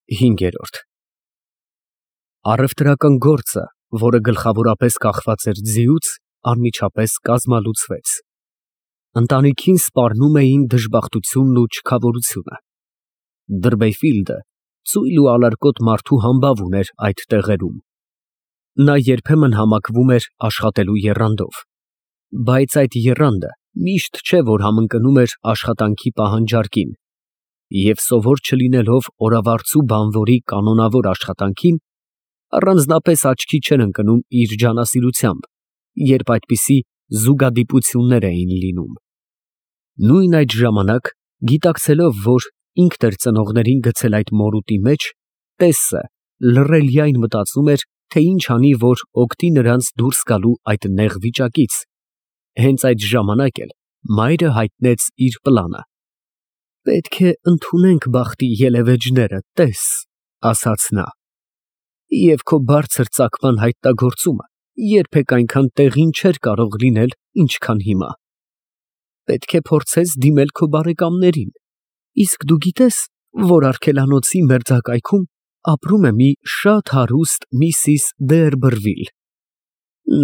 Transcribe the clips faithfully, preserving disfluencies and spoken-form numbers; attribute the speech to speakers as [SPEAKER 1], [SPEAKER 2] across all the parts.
[SPEAKER 1] հինգ։ Առևտրական գործը, որը գլխավորապես կախված էր ձիուց, անմիջապես կազմալուծվեց. ընտանիքին սպառնում էին դժբախտությունն ու չքավորությունը։ Դրբեֆիլդը ծույլ ու ալարկոտ մարդու համբավ ուներ այդ տեղերում։ Նա երբեմն համակվում էր աշխատելու եռանդով, բայց այդ եռանդը միշտ չէ, որ համընկնում էր աշխատանքի պահանջարկին, և սովոր չլինելով օրավարձու բանվորի կանոնավոր աշխատանքին, առանձնապես աչքի չէր ընկնում իր ջանասիրությամբ, երբ այդպիսի զուգադիպություններ էին լինում։ Նույն այդ ժամանակ, գիտակցելով, որ ինքն էր ծնողներին գցել այդ մորուտի մեջ, տեսը լռելիայն մտածում էր, թե ինչ անի, որ օգտի նրանց դուրս գալու այդ նեղ վիճակից։ Հենց այդ ժամանակ էլ մայրը հայտնեց իր պլանը։ «Պետք է ընդունենք բախտի ելևէջները, տես», ֊ ասաց նա, «և քո բարձր ծագման հայտնագործումը երբեք այնքան տեղին չէր կարող լինել, ինչքան հիմա։ Պետք է փորձես դիմել քո բարեկամներին, իսկ դու գիտե՞ս, որ արգելանոցի մերձակայքում ապրում է մի շատ հարուստ Միսիս Դերբերվիլ։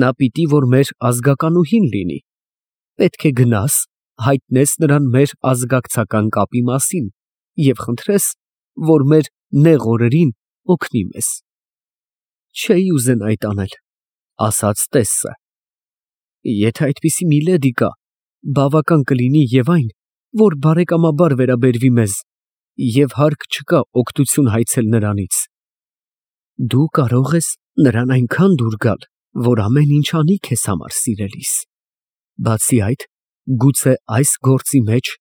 [SPEAKER 1] Նա պիտի որ մեր ազգականուհին լինի։ Պետք է գնաս, հայտնես նրան մեր ազգակցական կապի մասին և խնդրես, որ մեր նեղ օրերին օգնի մեզ»։ «Չէի ուզենա այդ անել», ֊ ասաց տեսը։ «Եթե այդպիսի մի լեդի կա, բավական կլինի և այն, որ բարեկամաբար վերաբերվի մեզ, և հարկ չկա օգնություն հայցել նրանից։ Դու կարող ես նրան այնքան դուր գալ, որ ամեն ինչ անի քեզ համար, սիրելիս։ Բացի այդ, գուցե այս գործի մեջ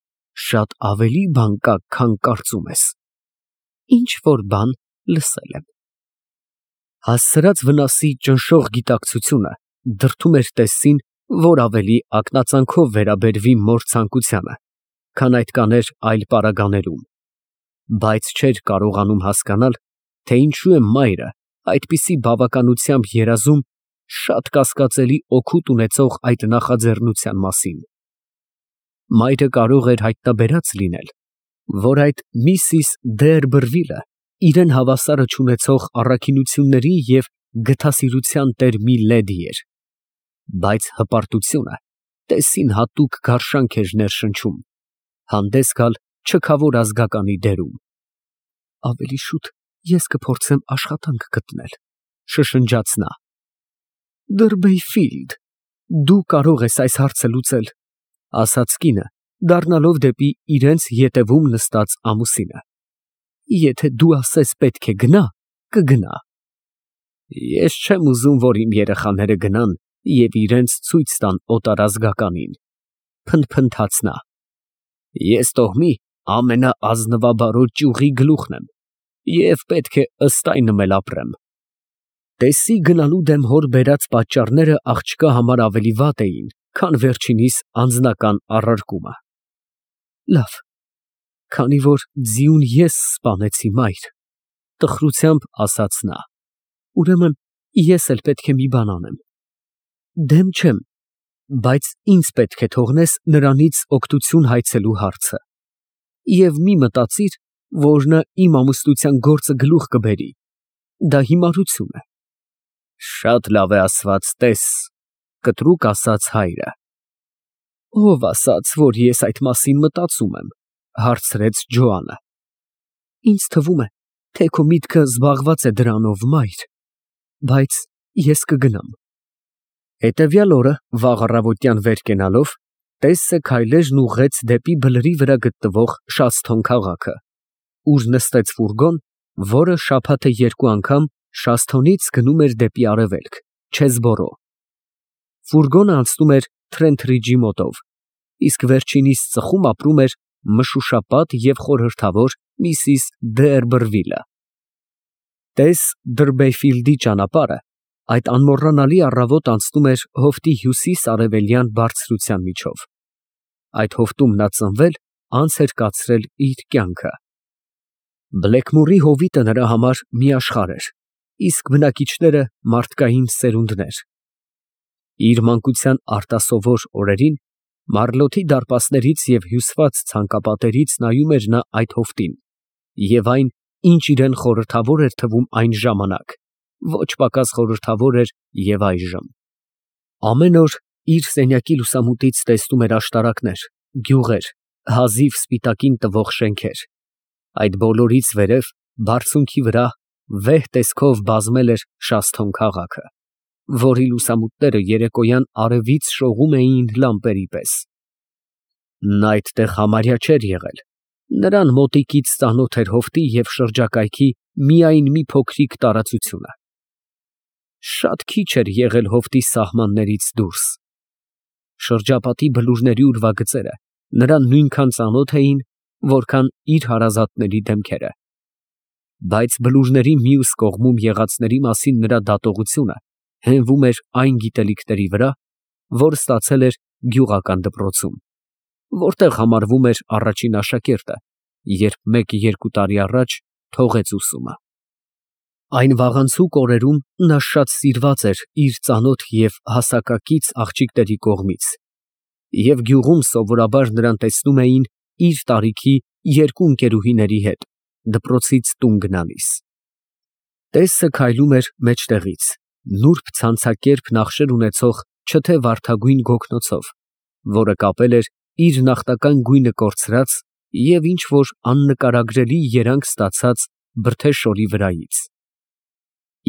[SPEAKER 1] շատ ավելի բան կա, քան կարծում ես։ Ինչ֊որ բան լսել եմ»։ Հասցրած վնասի ճնշող գիտակցությունը դրդում էր տեսին, որ ավելի ակնածանքով վերաբերվի մոր ցանկությանը, քան այդ կաներ այլ պարագաներում, բայց չէր կարողանում հասկանալ, թե ինչու է մայրը այդպիսի բավականությամբ երազում շատ կասկածելի օգուտ ունեցող այդ նախաձեռնության մասին։ Մայրը կարող էր հայտնաբերած լինել, որ այդ Միսիս Դերբերվիլը իրան հավասարը չունեցող առաքինությունների և գթասիրության տեր մի լեդի էր, բայց հպարտությունը տեսին հատուկ գարշանք էր ներշնչում, հանդես գալ չքավոր ազգականի դերում։ «Ավելի շուտ ես կփորձեմ աշխատանք գտնել», ֊ շշնջաց նա։ «Դերբեֆիլդ, դու կարող ես այս հարցը լուծել», ֊ ասաց կինը, դառնալով դեպի իրենց ետևում նստած ամուսինը։ «Եթե դու ասես պետք է գնա, կգնա»։ «Ես չեմ ուզում, որ իմ երեխաները գնան և իրենց ցույց տան օտարազգականին», ֊ փնթփնթաց նա։ «Ես տոհմի ամենաազնվաբարո ճյուղի գլուխն եմ և պետք է ըստ այնմ էլ ապրեմ»։ Տեսի գնալու դեմ հոր բերած պատճառները աղջկա համար ավելի վատ էին, քան վերջինիս անձնական առարկումը։ «Լավ, քանի որ ձիուն ես սպանեցի, մայր», ֊ տխրությամբ ասաց նա, «ուրեմն ես էլ պետք է մի բան անեմ։ Դեմ չեմ, բայց ինձ պետք է թողնես նրանից օգնություն հայցելու հարցը։ Եվ մի մտածիր, որ նա իմ ամուսնության գործը գլուխ կբերի, դա հիմարություն է»։ «Շատ լավ է ասված, տես», ֊ կտրուկ ասաց հայրը։ «Ո՞վ ասաց, որ ես այդ մասին մտածում եմ», ֊ հարցրեց Ջոանը։ «Ինձ թվում է, թե քո միտքը զբաղված է դրանով, մայր, բայց ես կգնամ»։ Հետևյալ օրը վաղ առավոտյան վեր կենալով, տեսը քայլերն ուղղեց դեպի բլրի վրա գտնվող Շաստոն քաղաքը, ուր նստեց ֆուրգոն, որը շաբաթը երկու անգամ Շաստոնից գնում էր դեպի արևելք, Չեսբորո։ Ֆուրգոնը անցնում էր Թրենթրիջի մոտով, իսկ վերջինիս ծխում ապրում էր մշուշապատ և խորհրդավոր Միսիս Դերբերվիլը։ Տես Դրբեֆիլդի ճանապարհը այդ անմոռանալի առավոտ անցնում էր հովտի հյուսիս֊արևելյան բարձրության միջով։ Այդ հովտում նա ծնվել, անց էր կացրել իր կյանքը։ Բլեքմորի հովիտը նրա համար մի աշխարհ էր, իսկ բնակիչները մարդկային սերունդներ։ Իր մանկության արտասովոր օրերին Մարլոթի դարպասներից և հյուսված ցանկապատերից նայում էր նա այդ հովտին և այն ինչ իրեն խորհրդավոր էր թվում այն ժամանակ, ոչ պակաս խորհրդավոր էր և այժմ։ Ամեն օր իր սենյակի լուսամուտից տեսնում էր աշտարակներ, գյուղեր, հազիվ սպիտակին տվող շենքեր։ Այդ բոլորից վերև, բարձունքի վրա, վեհ տեսքով բազմել էր Շաստոն քաղաքը, որի լուսամուտները երեկոյան արևից շողում էին լամպերի պես։ Նա այդտեղ համարյա չէր եղել, նրան մոտիկից ծանոթ էր հովտի և շրջակայքի միայն մի փոքրիկ տարածությունը։ Շատ քիչ էր եղել հովտի սահմաններից դուրս։ Շրջապատի բլուրների ուրվագծերը նրան նույնքան ծանոթ էին, որքան իր հարազատների դեմքերը, բայց բլուրների մյուս կողմում եղածների մասին նրա դատողությունը հենվում էր այն գիտելիքների վրա, որ ստացել էր գյուղական դպրոցում, որտեղ համարվում էր առաջին աշակերտը, երբ մեկ֊երկու տարի առաջ թողեց ուսումը։ Այն վաղանցուկ օրերում նա շատ սիրված էր իր ծանոթ և հասակակից աղջիկների կողմից, և գյուղում սովորաբար նրան տեսնում էին իր տարիքի երկու ընկերուհիների հետ, դպրոցից տուն գնալիս։ Տեսը քայլում էր մեջտեղից, նուրբ ցանցակերպ նախշեր ունեցող չթե վարդագույն գոգնոցով, որը կապել էր իր նախնական գույնը կորցրած և ինչ֊որ աննկարագրելի երանգ ստացած բրդե շորի վրայից։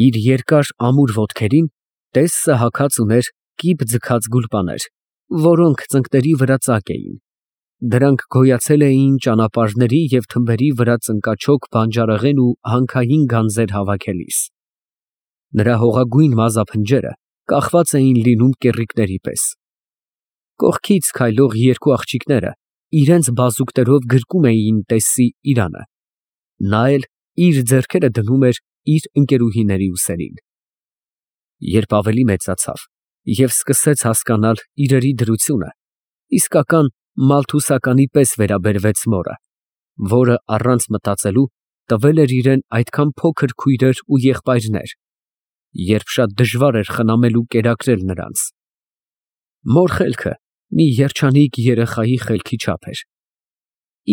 [SPEAKER 1] Իր երկար ամուր ոտքերին տեսը հագած ուներ կիպ ձգած գուլպաներ, որոնք ծնկների վրա ծակ էին, դրանք գոյացել էին ճանապարհների և թմբերի վրա ծնկաչոք բանջարեղեն ու հանքային գանձեր հավաքելիս։ Նրա հողագույն մազափնջերը կախված էին լինում կեռիկների պես։ Կողքից քայլող երկու աղջիկները իրենց բազուկներով գրկում էին տեսի իրանը, նա էլ իր ձեռքերը դնում էր իր ընկերուհիների ուսերին։ Երբ ավելի մեծացավ և սկսեց հասկանալ իրերի դրությունը, իսկական մալթուսականի պես վերաբերվեց մորը, որը առանց մտածելու տվել էր իրան այդքան փոքր քույրեր ու եղբայրներ, երբ շատ դժվար էր խնամել ու կերակրել նրանց։ Մոր խելքը մի երջանիկ երեխայի խելքի չափ էր։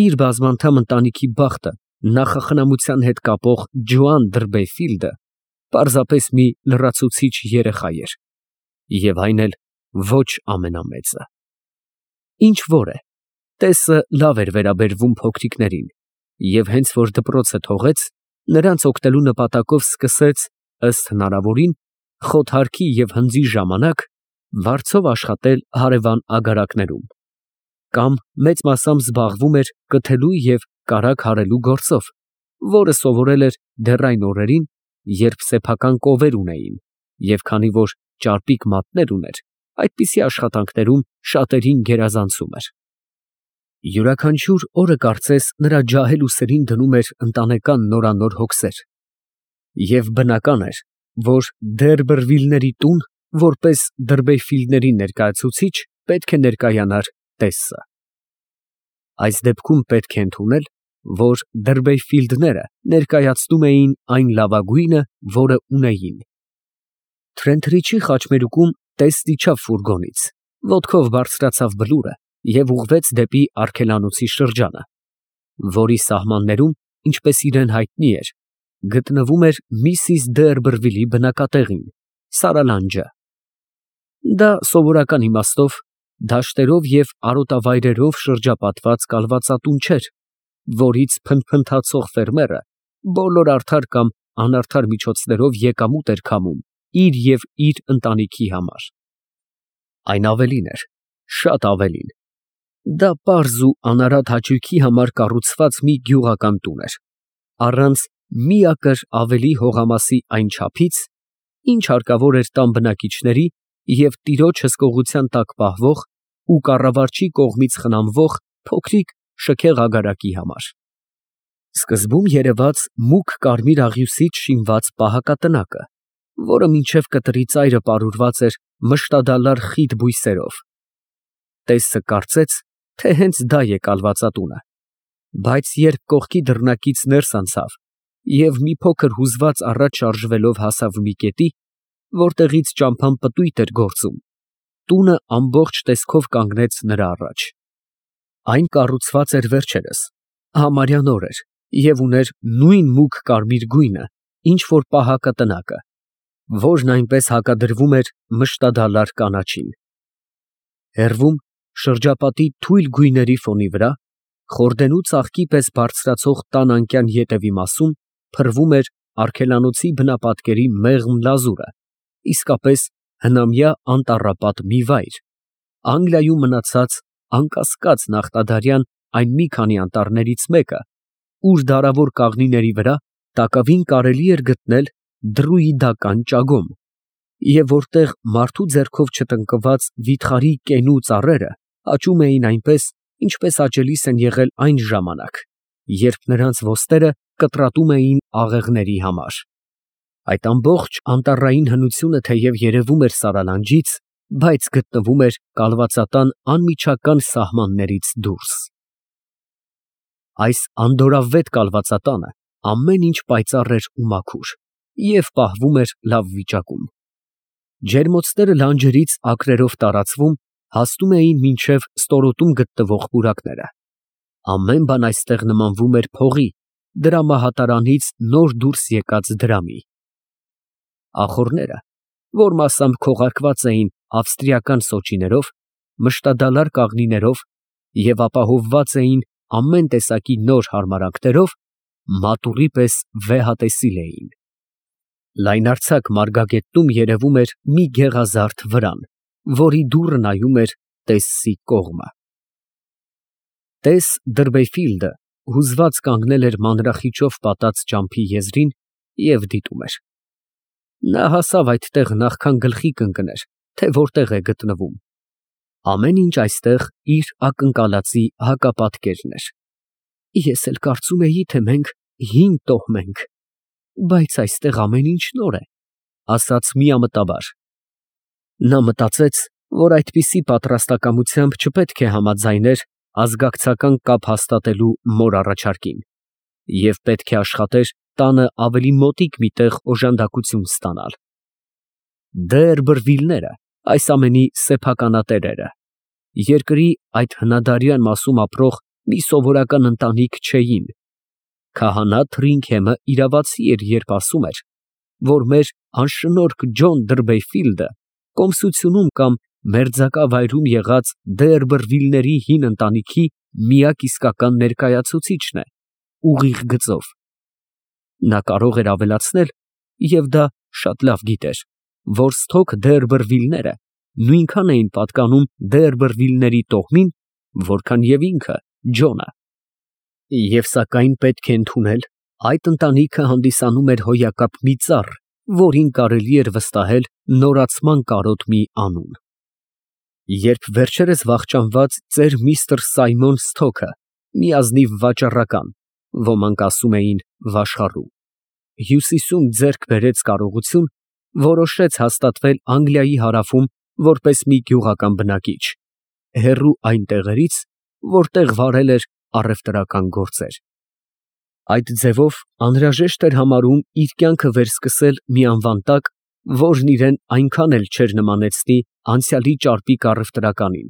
[SPEAKER 1] Իր բազմանդամ ընտանիքի բախտը նախախնամության հետ կապող Ջոան Դըրբեֆիլդը պարզապես մի լրացուցիչ երեխա էր, և այն էլ ոչ ամենամեծը։ Ինչ որ է, տեսը լավ էր վերաբերվում փոքրիկներին, և հենց որ դպրոցը թողեց, նրանց օգնելու նպատակով սկսեց, ըստ հնարավորին, խոթարքի և հնձի ժամանակ վարձով աշխատել հարևան ագարակներում, կամ մեծ մասամբ զբաղվում էր կթելու և կարագ հարելու գործով, որը սովորել էր դեռ այն օրերին, երբ սեփական կովեր ունեին, և քանի որ ճարպիկ մատներ ուներ, այդպիսի աշխատանքներում շատերին գերազանցում էր։ Յուրաքանչյուր օրը կարծես նրա ջահել ուսերին դնում էր ընտանեկան նորանոր հոգսեր, և բնական էր, որ Դերբերվիլների տուն, որպես Դըրբեֆիլդների ներկայացուցիչ, պետք է ներկայանար տեսը։ Այս դեպքում պետք է ընդունել, որ Դըրբեֆիլդները ներկայացնում էին այն լավագույնը, որը ունեին։ Թրենթրիչի խաչմերուկում տեսն իջավ ֆուրգոնից, ոտքով բարձրացավ բլուրը և ուղղվեց դեպի արգելանոցի շրջանը, որի սահմաններում, ինչպես իրան հայտնի էր, գտնվում էր միսիս Դերբերվիլի բնակատեղին, Սարալանջը։ Դա սովորական իմաստով դաշտերով և արոտավայրերով շրջապատված կալվածատուն չէր, որից փնթփնթացող ֆերմերը բոլոր արդար կամ անարդար միջոցներով եկամուտ էր քամում իր և իր ընտանիքի համար։ Այն ավելին էր, շատ ավելին, դա պարզ ու անարատ հաճույքի համար կառուցված մի գյուղական տուն էր, առանց միակր ավելի հողամասի այն չափից, ինչ հարկավոր էր տան բնակիչների և տիրոջ հսկողության տակ պահվող ու կառավարչի կողմից խնամվող փոքրիկ շքեղ ագարակի համար։ Սկզբում երևաց մուգ կարմիր աղյուսից շինված պահակատնակը, որը մինչև կտրի ծայրը պարուրված էր մշտադալար խիտ բույսերով։ Տեսը կարծեց, թե հենց դա է կալվածատունը, բայց երբ կողքի դռնակից ներս անցավ և մի փոքր հուզված առաջ շարժվելով հասավ մի կետի, որտեղից ճամփան պտույտ էր գործում, տունը ամբողջ տեսքով կանգնեց նրա առաջ։ Այն կառուցված էր վերջերս, համարյա նոր էր, և ուներ նույն մուգ կարմիր գույնը, ինչ որ պահակը տնակը, որն այնպես հակադրվում էր մշտադալար կանաչին։ Հեռվում, շրջապատի թույլ գույների ֆոնի վրա, խորդենու ծաղկի պես բարձրացող տան անկյան ետևի մասում փռվում էր արգելանոցի բնապատկերի մեղմ լազուրը, իսկապես հնամյա անտառապատ մի վայր, Անգլիայում մնացած անկասկած նախտադարյան այն մի քանի անտառներից մեկը, ուր դարավոր կաղնիների վրա տակավին կարելի էր գտնել դռուիդական ճագոմ, և որտեղ մարդու ձեռքով չտնկված վիթխարի կենու ծառերը աճում էին այնպես, ինչպես աճելիս են եղել այն ժամանակ, երբ նրանց ոստերը կտրատում էին աղեղների համար։ Այդ ամբողջ անտառային հնությունը թեև երևում էր Սարալանջից, բայց գտնվում էր կալվածատան անմիջական սահմաններից դուրս։ Այս անդորրավետ կալվածատանը ամեն ինչ պայծառ էր ու մաքուր և պահվում էր լավ վիճակում։ Ջերմոցները լանջերից ակրերով տարածվում, հասնում էին մինչև ստորոտում գտնվող պուրակները։ Ամեն բան այստեղ նմանվում էր փողի, դրամահատարանից նոր դուրս եկած դրամի։ Ախոռները, որ մասամբ քողարկված էին ավստրիական սոճիներով, մշտադալար կաղնիներով և ապահովված էին ամեն տեսակի նոր հարմարանքներով, մատուռի պես վեհատեսիլ էին։ Լայնարձակ մարգագետնում երևում էր մի գեղազարդ վրան, որի դուռը նայում էր Տեսսի կողմը։ Տես Դըրբեֆիլդը հուզված կանգնել էր մանրախիճով պատած ճամփի եզրին և դիտում էր։ Նա հասավ այդտեղ նախքան գլխի կընկներ, թե որտեղ է գտնվում։ Ամեն ինչ այստեղ իր ակնկալածի հակապատկերն էր։ Ես էլ կարծում էի, թե մենք հին տոհմ ենք, բայց այստեղ ամեն ինչ նոր է, ասաց միամտաբար։ Նա մտածեց, որ այդպիսի պատրաստակամությամբ չպետք է համաձայներ ազգակցական կապ հաստատելու մոր առաջարկին և պետք է աշխատեր տանը ավելի մոտիկ մի տեղ օժանդակություն ստանալ։ Դերբրվիլները այս ամենի սեփականատերերը, երկրի այդ հնադարյան մասում ապրող մի սովորական ընտանիք չէին։ Քահանա Թրինքեմը իրավացի էր, երբ ասում էր, որ մեր անշնորհք Ջոն Դըրբեֆիլդը կոմսությունում կամ մերձակա վայրում եղած Դերբրվիլների հին ընտանիքի միակ իսկական ներկայացուցիչն է, ուղիղ գծով։ Նա կարող էր ավելացնել, և դա շատ լավ գիտեր, որ Սթոք Դերբրվիլները նույնքան էին պատկանում Դերբրվիլների տոհմին, որքան և ինքը Ջոնը։ Եվ սակայն պետք է ընդունել, այդ ընտանիքը հանդիսանում էր հոյակապ մի ծառ, որին կարելի էր վստահել նորացման կարոտ մի անուն։ Երբ վերջերս վախճանված ծեր միստր Սայմոն Սթոքը, մի ազնիվ վաճառական, ոմանք ասում էին վաշխառու, Հյուսիսում ձեռք բերեց կարողություն, որոշեց հաստատվել Անգլիայի հարավում որպես մի գյուղական բնակիչ, հեռու այն տեղերից, որտեղ վարել էր առևտրական գործեր։ Այդ ձևով անհրաժեշտ էր համարում իր կյանքը վերսկսել մի անվան տակ, որն իրեն այնքան էլ չէր նմանեցնի անցյալի ճարպիկ առևտրականին,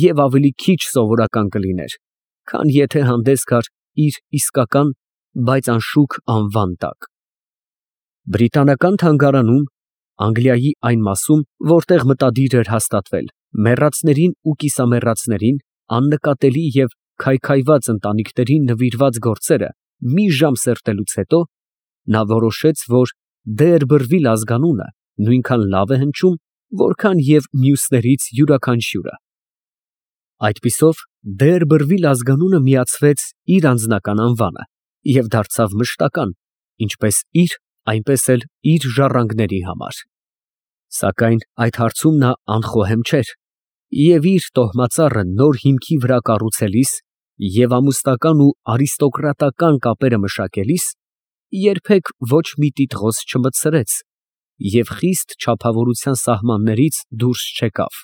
[SPEAKER 1] և ավելի քիչ սովորական կլիներ, քան եթե հանդես գար իր իսկական, բայց անշուք անվան տակ։ Բրիտանական թանգարանում, Անգլիայի այն մասում, որտեղ մտադիր էր հաստատվել, մեռածներին ու կիսամեռածներին, աննկատելի և քայքայված ընտանիքներին նվիրված գործերը մի ժամ սերտելուց հետո, նա որոշեց, որ Դերբրվիլ ազգանունը նույնքան լավ է հնչում, որքան և մյուսներից յուրաքանչյուրը։ Այդպիսով Դերբրվիլ ազգանունը միացվեց իր անձնական անվանը և դարձավ մշտական, ինչպես իր, այնպես էլ իր ժառանգների համար։ Սակայն այդ հարցում նա անխոհեմ չէր և իր տոհմածառը նոր հիմքի վրա կառուցելիս և ամուսնական ու արիստոկրատական կապերը մշակելիս երբեք ոչ մի տիտղոս չմտցրեց և խիստ չափավորության սահմաններից դուրս չեկավ։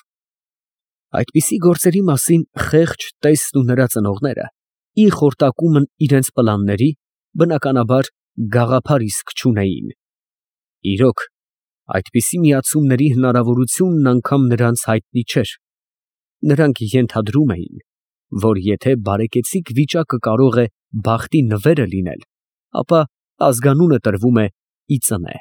[SPEAKER 1] Այդպիսի գործերի մասին խեղճ տեսն ու նրա ծնողները, ի խորտակումն իրենց պլանների, բնականաբար, գաղափար իսկ չունեին։ Իրոք, այդպիսի միացումների հնարավորությունն անգամ նրանց հայտնի չէր։ Նրանք ենթադրում էին, որ եթե բարեկեցիկ վիճակը կարող է բախտի նվերը լինել, ապա ազգանունը տրվում է ի ծնե։